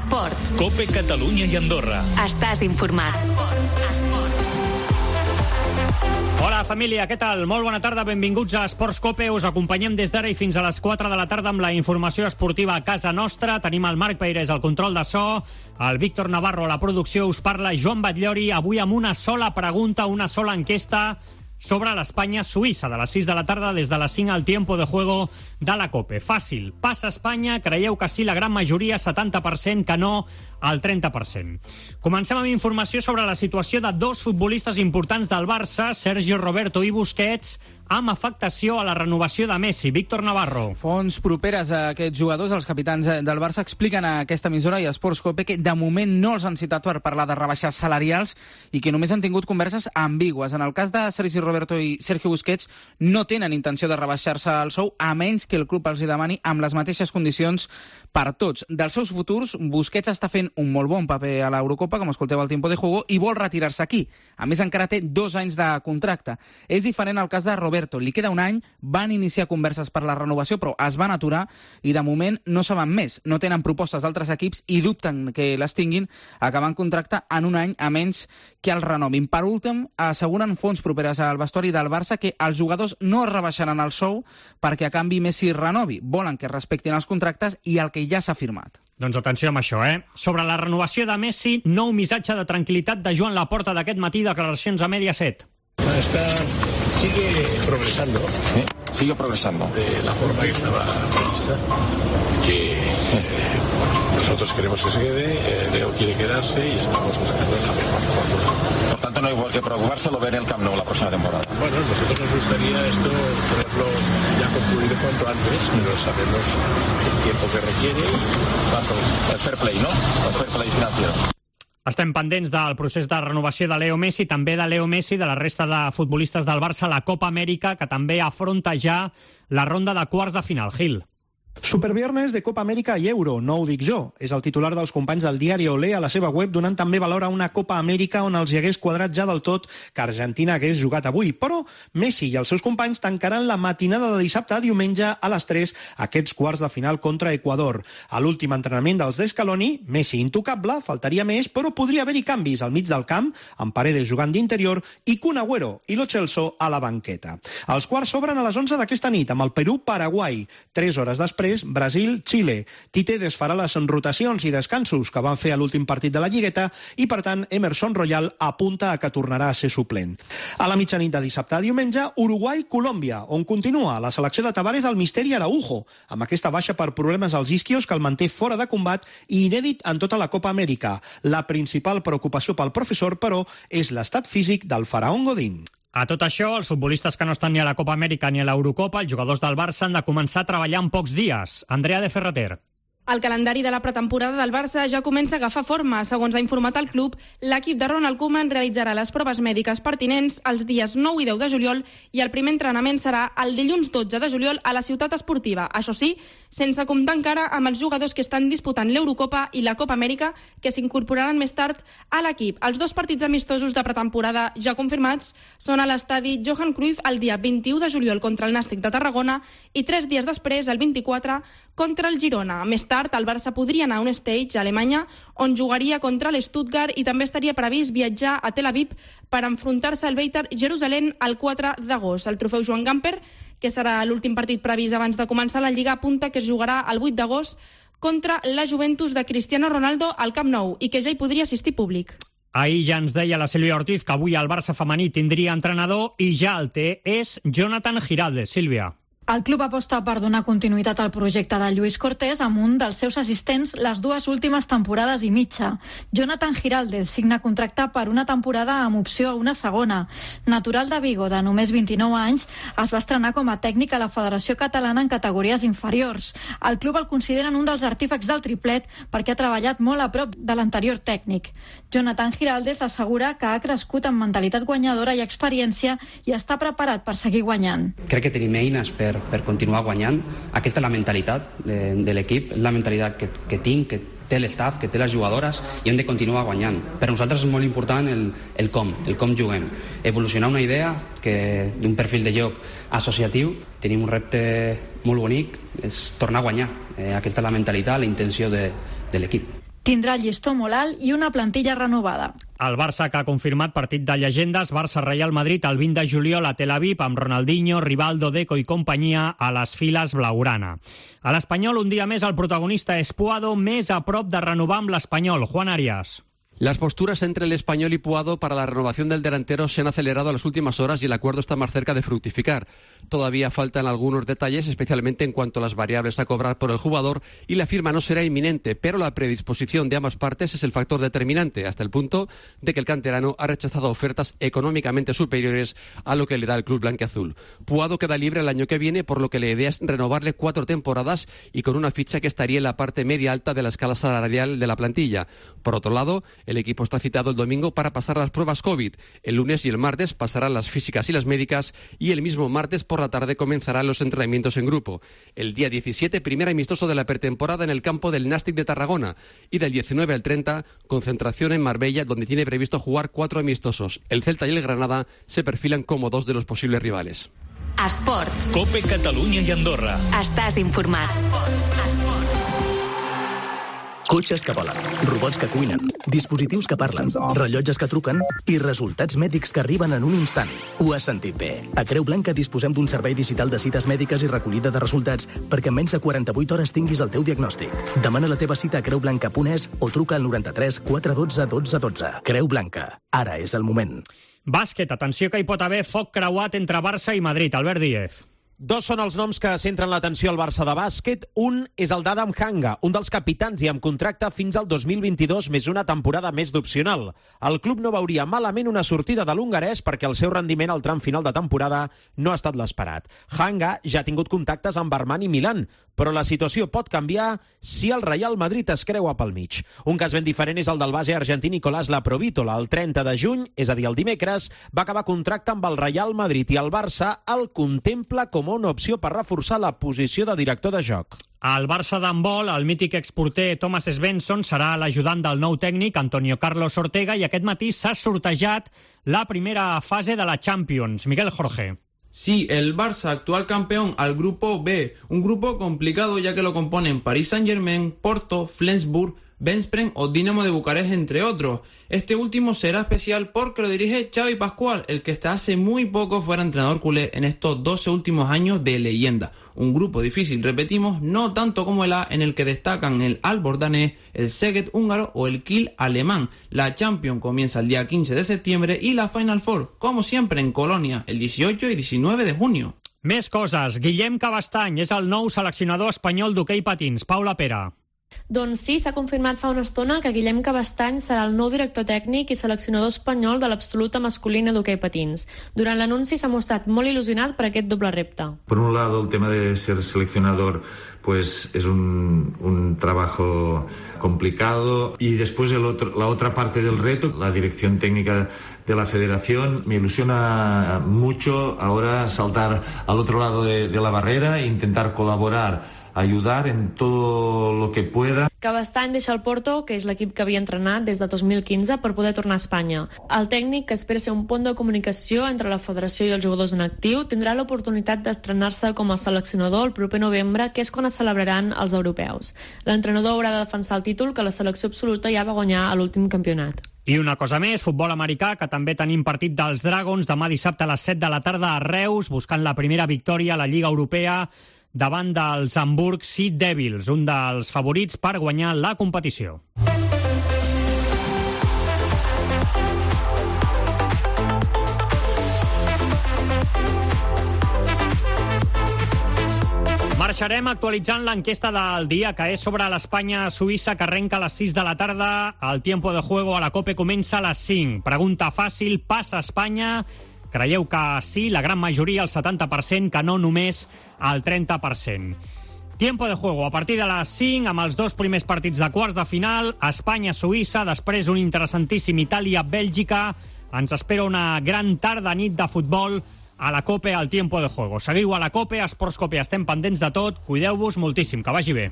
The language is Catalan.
Esports. COPE Catalunya i Andorra. Estàs informat. Hola, família, què tal? Molt bona tarda, benvinguts a Esports COPE. Us acompanyem des d'ara i fins a les 4 de la tarda amb la informació esportiva a casa nostra. Tenim el Marc Peirés al control de so, el Víctor Navarro a la producció, us parla Joan Batllori, avui amb una sola pregunta, una sola enquesta sobre l'Espanya-Suïssa, de les 6 de la tarda des de les 5 al tiempo de juego de la COPE. Fàcil, passa Espanya, creieu que sí, la gran majoria, 70%, que no, el 30%. Comencem amb informació sobre la situació de dos futbolistes importants del Barça, Sergio Roberto i Busquets, amb afectació a la renovació de Messi. Víctor Navarro. Fonts properes a aquests jugadors, els capitans del Barça, expliquen a aquesta emissora i a Esports COPE que de moment no els han citat per parlar de rebaixes salarials i que només han tingut converses ambigües. En el cas de Sergi Roberto i Sergio Busquets no tenen intenció de rebaixar-se el sou, a menys que el club els hi demani amb les mateixes condicions per tots. Dels seus futurs, Busquets està fent un molt bon paper a l'Eurocopa, com escolteu al tiempo de juego, i vol retirar-se aquí. A més, encara té 2 anys de contracte. És diferent el cas de Roberto. Li queda un any, van iniciar converses per la renovació, però es van aturar i de moment no saben més. No tenen propostes d'altres equips i dubten que les tinguin acabant contracte en un any, a menys que el renovin. Per últim, asseguren fonts properes al vestuari del Barça que els jugadors no es rebaixaran el sou perquè a canvi Messi renovi. Volen que respectin els contractes i el que ja s'ha firmat. Doncs atenció amb això, Sobre la renovació de Messi, nou missatge de tranquil·litat de Joan Laporta d'aquest matí, declaracions a Mediaset. Sigue progresando. Sigue progresando. De la forma que estaba prevista. Que nosotros queremos que se quede, Leo quiere quedarse y estamos buscando la mejor fórmula. Por tanto, no hay que preocuparse, lo ver en el Camp Nou la próxima temporada. Bueno, nosotros nos gustaría esto tenerlo ya concluido cuanto antes, pero sabemos el tiempo que requiere y cuánto. El fair play, ¿no? El fair play financiero. Estem pendents del procés de renovació de Leo Messi, també de Leo Messi, de la resta de futbolistes del Barça, la Copa Amèrica, que també afronta ja la ronda de quarts de final. Gil. Superviernes de Copa Amèrica i Euro, no ho dic jo. És el titular dels companys del diari Olé a la seva web, donant també valor a una Copa Amèrica on els hi hagués quadrat ja del tot que Argentina hagués jugat avui. Però Messi i els seus companys tancaran la matinada de dissabte a diumenge a les 3 aquests quarts de final contra Equador. A l'últim entrenament dels d'Escaloni, Messi intocable, faltaria més, però podria haver-hi canvis al mig del camp, amb Paredes jugant d'interior i Kun Agüero i Lo Celso a la banqueta. Els quarts s'obren a les 11 d'aquesta nit amb el Perú-Paraguai. 3 hores després, Brasil-Xile. Tite desfarà les rotacions i descansos que van fer a l'últim partit de la Lligueta i, per tant, Emerson Royal apunta a que tornarà a ser suplent. A la mitjanit de dissabte a diumenge, Uruguai-Colòmbia, on continua la selecció de Tavares del misteri Araujo, amb aquesta baixa per problemes als isquios que el manté fora de combat i inèdit en tota la Copa Amèrica. La principal preocupació pel professor, però, és l'estat físic del faraón Godín. A tot això, els futbolistes que no estan ni a la Copa Amèrica ni a l'Eurocopa, els jugadors del Barça, han de començar a treballar en pocs dies. Andrea de Ferrater. El calendari de la pretemporada del Barça ja comença a agafar forma. Segons ha informat el club, l'equip de Ronald Koeman realitzarà les proves mèdiques pertinents els dies 9 i 10 de juliol i el primer entrenament serà el dilluns 12 de juliol a la ciutat esportiva. Això sí, sense comptar encara amb els jugadors que estan disputant l'Eurocopa i la Copa Amèrica, que s'incorporaran més tard a l'equip. Els 2 partits amistosos de pretemporada ja confirmats són a l'estadi Johan Cruyff el dia 21 de juliol contra el Nàstic de Tarragona i 3 dies després, el 24, contra el Girona. Més tard, el Barça podria anar a un stage a Alemanya on jugaria contra l'Stuttgart i també estaria previst viatjar a Tel Aviv per enfrontar-se al Beitar Jerusalem el 4 d'agost. El trofeu Joan Gamper, que serà l'últim partit previst abans de començar la Lliga, apunta que es jugarà el 8 d'agost contra la Juventus de Cristiano Ronaldo al Camp Nou i que ja hi podria assistir públic. Ahir ja ens deia la Sílvia Ortiz que avui el Barça femení tindria entrenador i ja el té, és Jonathan Giraldes. Sílvia. El club aposta per donar continuïtat al projecte de Lluís Cortés amb un dels seus assistents les 2 últimes temporades i mitja. Jonathan Giraldes signa contracte per una temporada amb opció a una segona. Natural de Vigo, de només 29 anys, es va estrenar com a tècnic a la Federació Catalana en categories inferiors. El club el consideren un dels artífex del triplet perquè ha treballat molt a prop de l'anterior tècnic. Jonathan Giraldes assegura que ha crescut amb mentalitat guanyadora i experiència i està preparat per seguir guanyant. Crec que tenim eines per continuar guanyant. Aquesta és la mentalitat de l'equip, és la mentalitat que tinc, que té l'estaf, que té les jugadores i hem de continuar guanyant. Per nosaltres és molt important el com juguem. Evolucionar una idea d'un perfil de joc associatiu. Tenim un repte molt bonic, és tornar a guanyar. Aquesta és la mentalitat, la intenció de l'equip. Tindrà el llistó molt alt i una plantilla renovada. El Barça, que ha confirmat partit de llegendes, Barça-Real Madrid el 20 de juliol a Tel Aviv amb Ronaldinho, Rivaldo, Deco i companyia a les files blaugrana. A l'Espanyol, un dia més, el protagonista és Puado, més a prop de renovar amb l'Espanyol. Juan Arias. Las posturas entre el Español y Puado para la renovación del delantero se han acelerado en las últimas horas y el acuerdo está más cerca de fructificar. Todavía faltan algunos detalles, especialmente en cuanto a las variables a cobrar por el jugador, y la firma no será inminente, pero la predisposición de ambas partes es el factor determinante, hasta el punto de que el canterano ha rechazado ofertas económicamente superiores a lo que le da el club blanquiazul. Puado queda libre el año que viene, por lo que la idea es renovarle 4 temporadas y con una ficha que estaría en la parte media alta de la escala salarial de la plantilla. Por otro lado, el equipo está citado el domingo para pasar las pruebas COVID. El lunes y el martes pasarán las físicas y las médicas y el mismo martes por la tarde comenzarán los entrenamientos en grupo. El día 17, primer amistoso de la pretemporada en el campo del Nàstic de Tarragona, y del 19 al 30, concentración en Marbella, donde tiene previsto jugar 4 amistosos. El Celta y el Granada se perfilan como 2 de los posibles rivales. Esports. Cope Catalunya i Andorra. Estàs informat. Cotxes que volen, robots que cuinen, dispositius que parlen, rellotges que truquen i resultats mèdics que arriben en un instant. Ho has sentit bé. A Creu Blanca disposem d'un servei digital de cites mèdiques i recollida de resultats perquè en menys de 48 hores tinguis el teu diagnòstic. Demana la teva cita a creublanca.es o truca al 93 412 12 12. Creu Blanca. Ara és el moment. Bàsquet, atenció que hi pot haver foc creuat entre Barça i Madrid. Albert Díez. 2 són els noms que centren l'atenció al Barça de bàsquet. Un és el d'Adam Hanga, un dels capitans i amb contracte fins al 2022 més una temporada més d'opcional. El club no veuria malament una sortida de l'hongarès perquè el seu rendiment al tram final de temporada no ha estat l'esperat. Hanga ja ha tingut contactes amb Armani Milan, però la situació pot canviar si el Real Madrid es creua pel mig. Un cas ben diferent és el del base argentí Nicolás Laprovítola. El 30 de juny, és a dir, el dimecres, va acabar contracte amb el Real Madrid i el Barça el contempla com una opció per reforçar la posició de director de joc. Al Barça d'handbol, el mític exporter Thomas Svensson serà l'ajudant del nou tècnic Antonio Carlos Ortega i aquest matí s'ha sortejat la primera fase de la Champions. Miguel Jorge. Sí, el Barça, actual campeón, al grupo B, un grupo complicado ya que lo componen Paris Saint-Germain, Porto, Flensburg, Veszprém o Dinamo de Bucarest, entre otros. Este último será especial porque lo dirige Xavi Pascual, el que hasta hace muy poco fuera entrenador culé en estos 12 últimos años de leyenda. Un grupo difícil, repetimos, no tanto como el A, en el que destacan el Aalborg danés, el Szeged húngaro o el Kiel alemán. La Champions comienza el día 15 de septiembre y la Final Four, como siempre, en Colonia, el 18 y 19 de junio. Més coses. Guillem Cabastany és el nou seleccionador espanyol d'hoquei patins. Paula Pera. Doncs sí, s'ha confirmat fa una estona que Guillem Cabastany serà el nou director tècnic i seleccionador espanyol de l'absoluta masculina d'hoquei patins. Durant l'anunci s'ha mostrat molt il·lusionat per aquest doble repte. Por un lado, el tema de ser seleccionador pues es un trabajo complicado y después la otra parte del reto, la dirección técnica de la federación. Me ilusiona mucho ahora saltar al otro lado de la barrera e intentar colaborar, ayudar en todo lo que pueda. Cabastany deixa el Porto, que és l'equip que havia entrenat des de 2015, per poder tornar a Espanya. El tècnic, que espera ser un pont de comunicació entre la federació i els jugadors en actiu, tindrà l'oportunitat d'estrenar-se com a seleccionador el proper novembre, que és quan es celebraran els europeus. L'entrenador haurà de defensar el títol que la selecció absoluta ja va guanyar a l'últim campionat. I una cosa més, futbol americà, que també tenim partit dels Dragons demà dissabte a les 7 de la tarda a Reus, buscant la primera victòria a la Lliga Europea davant dels Hamburg Sea Devils, un dels favorits per guanyar la competició. Marxarem actualitzant l'enquesta del dia, que és sobre l'Espanya-Suïssa, que arrenca a les 6 de la tarda. El tiempo de juego a la COPE comença a les 5. Pregunta fàcil, passa Espanya? Creieu que sí, la gran majoria, el 70%, que no només el 30%. Tiempo de juego a partir de les 5, amb els 2 primers partits de quarts de final, Espanya-Suïssa, després un interessantíssim Itàlia-Bèlgica. Ens espera una gran tarda, nit de futbol a la COPE, al tiempo de juego. Seguiu a la COPE, a Esports COPE, estem pendents de tot, cuideu-vos moltíssim, que vagi bé.